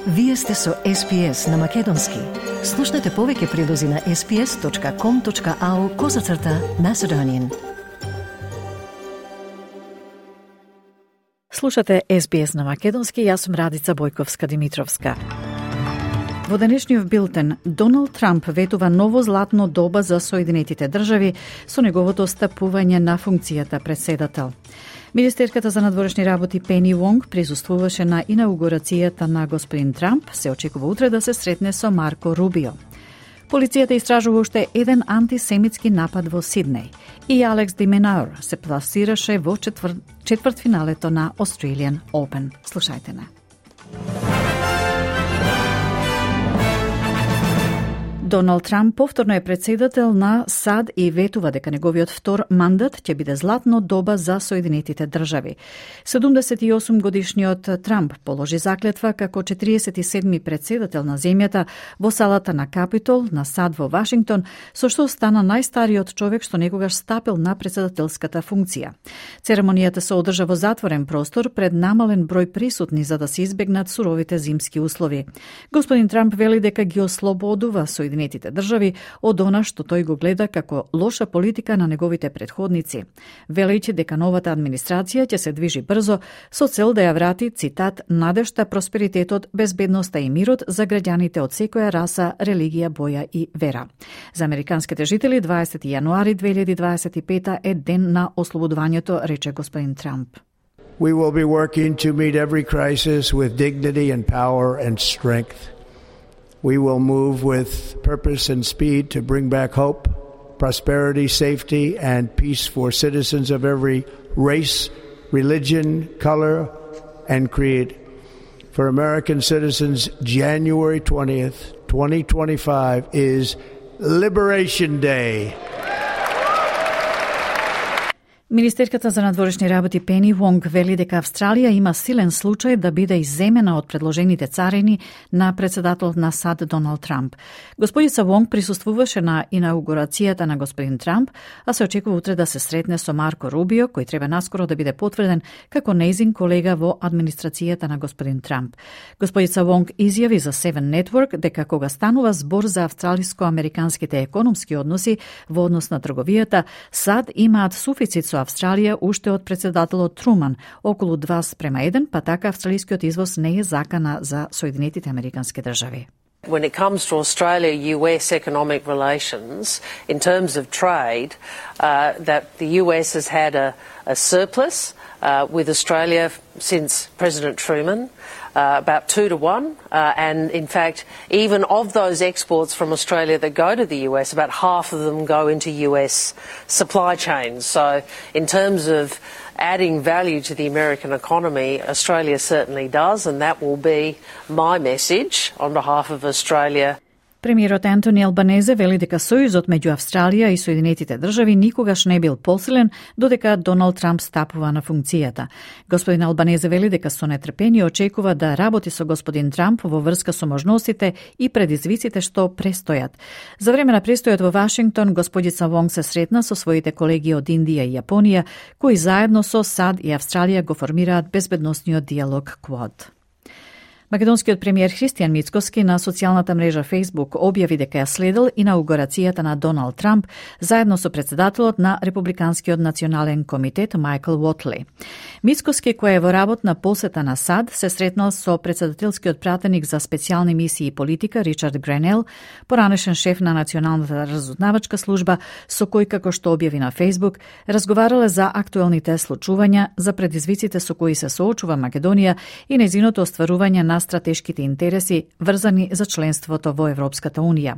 Вие сте со SPS на Македонски. Слушнете повеќе прилози на sps.com.au/Macedonian. Слушате SBS на Македонски, јас сум Радица Бојковска-Димитровска. Во денешниот билтен, Доналд Трамп ветува ново златно доба за Соединетите држави со неговото стапување на функцијата претседател. Министерката за надворешни работи Пени Вонг присуствуваше на инаугурацијата на господин Трамп, се очекува утре да се сретне со Марко Рубио. Полицијата истражува уште еден антисемитски напад во Сиднеј и Алекс Ди Минаур се пласираше во четвртфиналето на Australian Open. Слушајте не. Доналд Трамп повторно е претседател на САД и ветува дека неговиот втор мандат ќе биде златно доба за Соединетите држави. 78 годишниот Трамп положи заклетва како 47-ми претседател на земјата во салата на Капитол на САД во Вашингтон, со што стана најстариот човек што некогаш стапил на претседателската функција. Церемонијата се одржа во затворен простор пред намален број присутни за да се избегнат суровите зимски услови. Господин Трамп вели дека ги ослободува Соединетите држави од она што тој го гледа како лоша политика на неговите претходници, велејќи дека новата администрација ќе се движи брзо со цел да ја врати, цитат, надежта, просперитетот, безбедноста и мирот за граѓаните од секоја раса, религија, боја и вера. За американските жители 20 јануари 2025 е ден на ослободувањето, рече господин Трамп. We will be working to meet every crisis with dignity and power and strength. We will move with purpose and speed to bring back hope, prosperity, safety, and peace for citizens of every race, religion, color, and creed. For American citizens, January 20th, 2025 is Liberation Day. Министерката за надворешни работи Пени Вонг вели дека Австралија има силен случај да биде изземена од предложените царини на претседателот на САД Доналд Трамп. Господица Вонг присуствуваше на инаугурацијата на господин Трамп, а се очекува утре да се сретне со Марко Рубио, кој треба наскоро да биде потврден како нејзин колега во администрацијата на господин Трамп. Господица Вонг изјави за Seven Network дека кога станува збор за австралиско-американските економски односи во однос на трговијата, САД имаат суфицит со Австралија уште од претседателот Труман, околу 2:1, па така австралискиот извоз не е закана за Соединетите американски држави. When it comes to Australia-US economic relations, in terms of trade, that the US has had a surplus with Australia since President Truman, about 2-1, and in fact, even of those exports from Australia that go to the US, about half of them go into US supply chains. So in terms of adding value to the American economy, Australia certainly does, and that will be my message on behalf of Australia. Премиерот Антони Албанезе вели дека сојузот меѓу Австралија и Соединетите држави никогаш не бил посилен додека Доналд Трамп стапува на функцијата. Господин Албанезе вели дека со нетрпение очекува да работи со господин Трамп во врска со можностите и предизвиците што престојат. За време на престојот во Вашингтон, господица Вонг се сретна со своите колеги од Индија и Јапонија, кои заедно со САД и Австралија го формираат безбедносниот диалог Quad. Македонскиот премиер Христијан Мицкоски на социјалната мрежа Facebook објави дека ја следел инаугурацијата на Доналд Трамп заедно со претседателот на Републиканскиот национален комитет Мајкл Уотли. Мицкоски, кој е во работна посета на САД, се сретнал со претседателскиот пратеник за специјални мисии и политика Ричард Гренел, поранешен шеф на Националната разузнавачка служба, со кој, како што објави на Facebook, разговарале за актуелните случувања, за предизвиците со кои се соочува Македонија и нејзиното остварување на стратешките интереси врзани за членството во Европската Унија.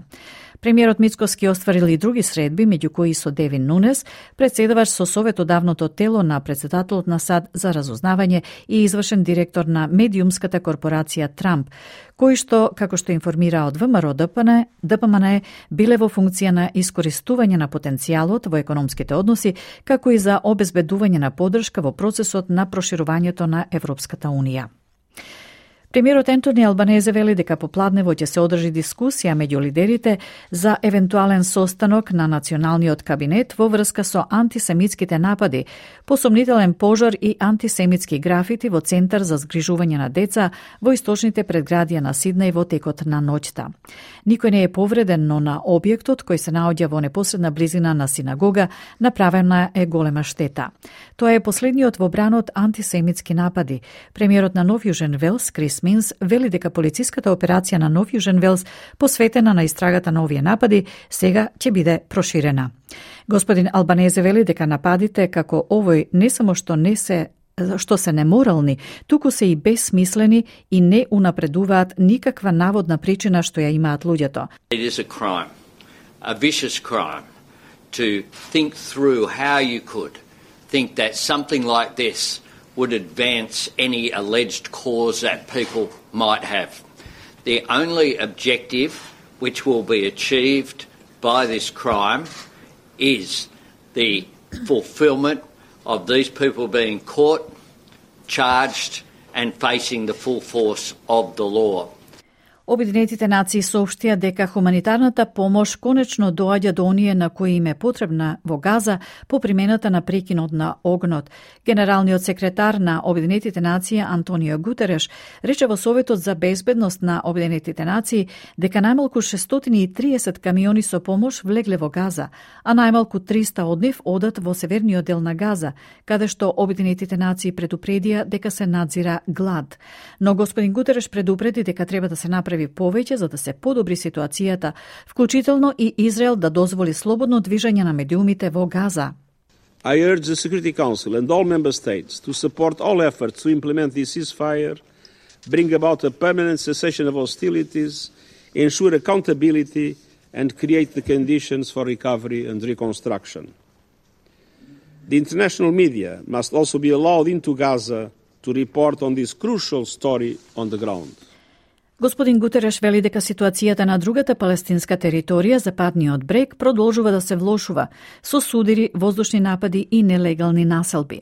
Премиерот Мицкоски остварил и други средби, меѓу кои со Девин Нунес, претседавач со советодавното тело на претседателот на САД за разузнавање и извршен директор на медиумската корпорација Трамп, кои што, како што информира од ВМРО ДПМН, биле во функција на искористување на потенцијалот во економските односи, како и за обезбедување на поддршка во процесот на проширувањето на Европската Унија. Премиерот Антони Албанезе вели дека попладнево ќе се одржи дискусија меѓу лидерите за евентуален состанок на националниот кабинет во врска со антисемитските напади, посомнителен пожар и антисемитски графити во центар за згрижување на деца во источните предградија на Сиднеј во текот на ноќта. Никој не е повреден, но на објектот кој се наоѓа во непосредна близина на синагога направена е голема штета. Тоа е последниот во бранот антисемитски напади. Премиерот на Нов Јужен Велс, Крис Минс, вели дека полициската операција на Нов Јужен Велс, посветена на истрагата на овие напади, сега ќе биде проширена. Господин Албанезе вели дека нападите како овој не само што се неморални, туку се и безсмислени и не унапредуваат никаква наводна причина што ја имаат луѓето. It is a crime, a vicious crime, to think through how you could think that something like this would advance any alleged cause that people might have. The only objective which will be achieved by this crime is the fulfilment of these people being caught, charged and facing the full force of the law. Обединетите нации соопштија дека хуманитарната помош конечно доаѓа до оние на кои им е потребна во Газа по примената на прекинот на огнот. Генералниот секретар на Обединетите нации Антонио Гутереш рече во Советот за безбедност на Обединетите нации дека најмалку 630 камиони со помош влегле во Газа, а најмалку 300 од нив одат во северниот дел на Газа, каде што Обединетите нации предупредија дека се надзира глад. Но господин Гутереш предупреди дека треба да се направи повеќе за да се подобри ситуацијата, вклучително и Израел да дозволи слободно движење на медиумите во Газа. I urge the Security Council and all member states to support all efforts to implement this ceasefire, bring about a permanent cessation of hostilities, ensure accountability and create the conditions for recovery and reconstruction. The international media must also be allowed into Gaza to report on this crucial story on the ground. Господин Гутереш вели дека ситуацијата на другата палестинска територија, Западниот брег, продолжува да се влошува со судири, воздушни напади и нелегални населби.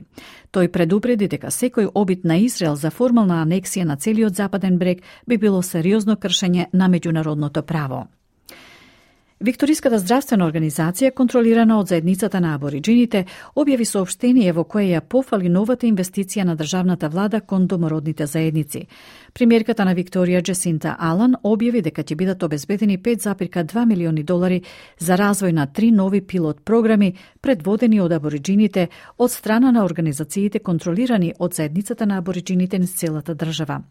Тој предупреди дека секој обид на Израел за формална анексија на целиот Западен брег би било сериозно кршење на меѓународното право. Викториската здравствена организација, контролирана од заедницата на абориџините, објави соопштение во кое ја пофали новата инвестиција на државната влада кон домородните заедници. Премиерката на Викторија, Джесинта Алан, објави дека ќе бидат обезбедени $5,2 милиони за развој на 3 нови пилот програми, предводени од абориџините од страна на организациите контролирани од заедницата на абориџините низ целата држава.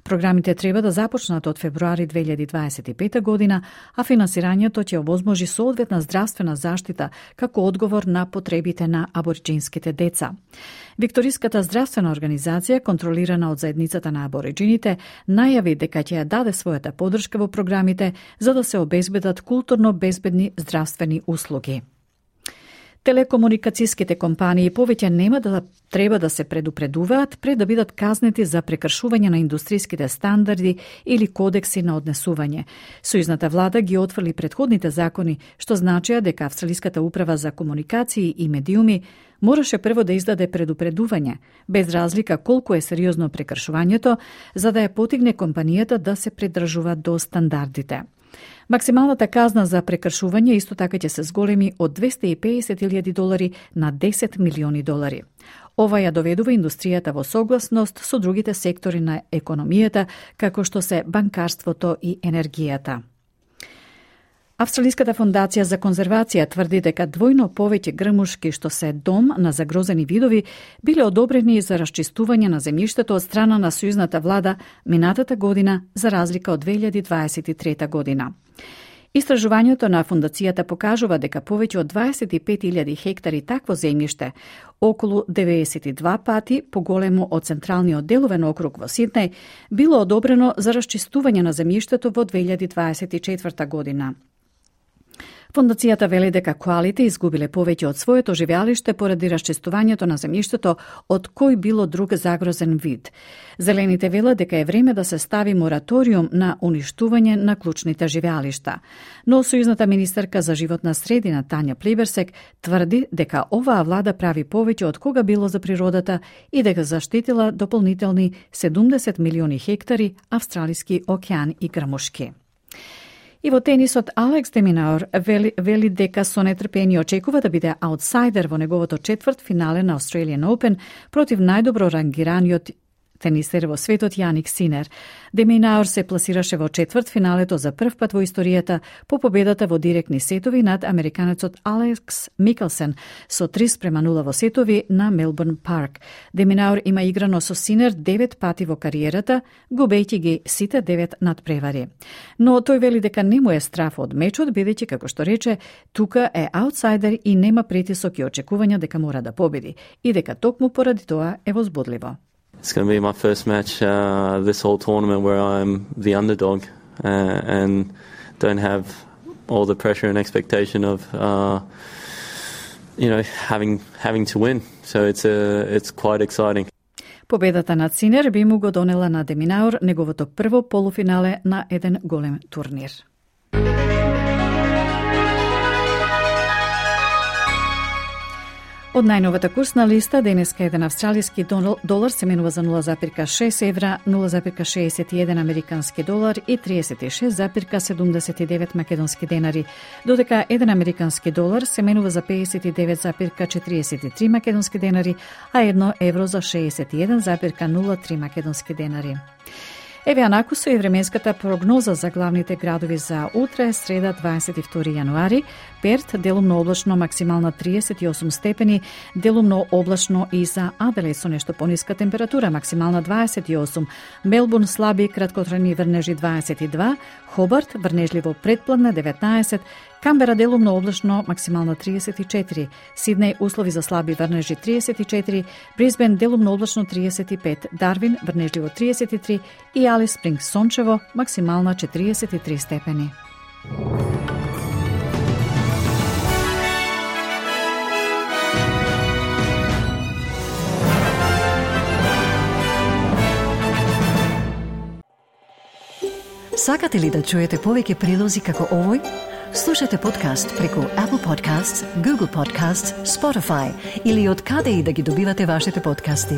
Програмите треба да започнат од февруари 2025 година, а финансирањето ќе овозможи соодветна здравствена заштита како одговор на потребите на абориџинските деца. Викториската здравствена организација, контролирана од заедницата на абориџините, најави дека ќе ја даде својата поддршка во програмите за да се обезбедат културно безбедни здравствени услуги. Телекомуникацијските компании повеќе нема да треба да се предупредуваат пред да бидат казнети за прекршување на индустријските стандарди или кодекси на однесување. Сојузната влада ги отфрли претходните закони, што значеа дека Австралиската управа за комуникации и медиуми мораше прво да издаде предупредување, без разлика колку е сериозно прекршувањето, за да ја потигне компанијата да се придржува до стандардите. Максималната казна за прекршување исто така ќе се зголеми од $250,000 на $10 милиони. Ова ја доведува индустријата во согласност со другите сектори на економијата, како што се банкарството и енергијата. Австралиската фондација за конзервација тврди дека двојно повеќе грмушки што се дом на загрозени видови биле одобрени за расчистување на земјиштето од страна на сојузната влада минатата година за разлика од 2023 година. Истражувањето на фондацијата покажува дека повеќе од 25,000 хектари такво земјиште, околу 92 пати поголемо од централниот деловен округ во Сиднеј, било одобрено за расчистување на земјиштето во 2024 година. Фондацијата вели дека коалите изгубиле повеќе од своето живеалиште поради расчистувањето на земјиштето од кој било друг загрозен вид. Зелените велат дека е време да се стави мораториум на уништување на клучните живеалишта. Но сојузната министерка за животна средина Тања Плиберсек тврди дека оваа влада прави повеќе од кога било за природата и дека заштитила дополнителни 70 милиони хектари австралиски океан и грмушки. И во тенисот Алекс де Минаур вели дека со нетрпение очекува да биде аутсайдер во неговото четврт финале на Australian Open против најдобро рангираниот тенисер во светот Јаник Синер. Де Минаур се пласираше во четврт финалето за прв пат во историјата по победата во директни сетови над американецот Алекс Микелсен со 3:0 во сетови на Мелбурн Парк. Де Минаур има играно со Синер 9 пати во кариерата, губејќи ги сите 9 надпревари. Но тој вели дека не му е страф од мечот, бидејќи, како што рече, тука е аутсайдер и нема притисок и очекувања дека мора да победи и дека токму поради тоа е возбудливо. It's going to be my first match this whole tournament where I'm the underdog and don't have all the pressure and expectation of having to win. So it's quite exciting. Победата над Синер би му го донела на Де Минаур неговото прво полуфинале на еден голем турнир. Од најновата курсна листа, денеска еден австралиски долар се менува за 0,6 евра, 0,61 американски долар и 36,79 македонски денари, додека еден американски долар се менува за 59,43 македонски денари, а 1 евро за 61,03 македонски денари. Еве анаку со и временската прогноза за главните градови за утре, среда 22 јануари. Перт делумно облачно, максимална 38 степени, делумно облачно и за Аделаид со нешто пониска температура, максимална 28, Мелбурн слаби краткотрajни врнежи 22, Хобарт врнежливо претпладне 19, Камбера делумно облачно, максимална 34, Сиднеј услови за слаби врнежи 34, Брисбен делумно облачно 35, Дарвин врнежливо 33 и Алис Спрингс сончево, максимална 43 степени. Сакате ли да чуете повеќе прилози како овој? Слушате подкаст преку Apple Podcasts, Google Podcasts, Spotify или од каде и да ги добивате вашите подкасти.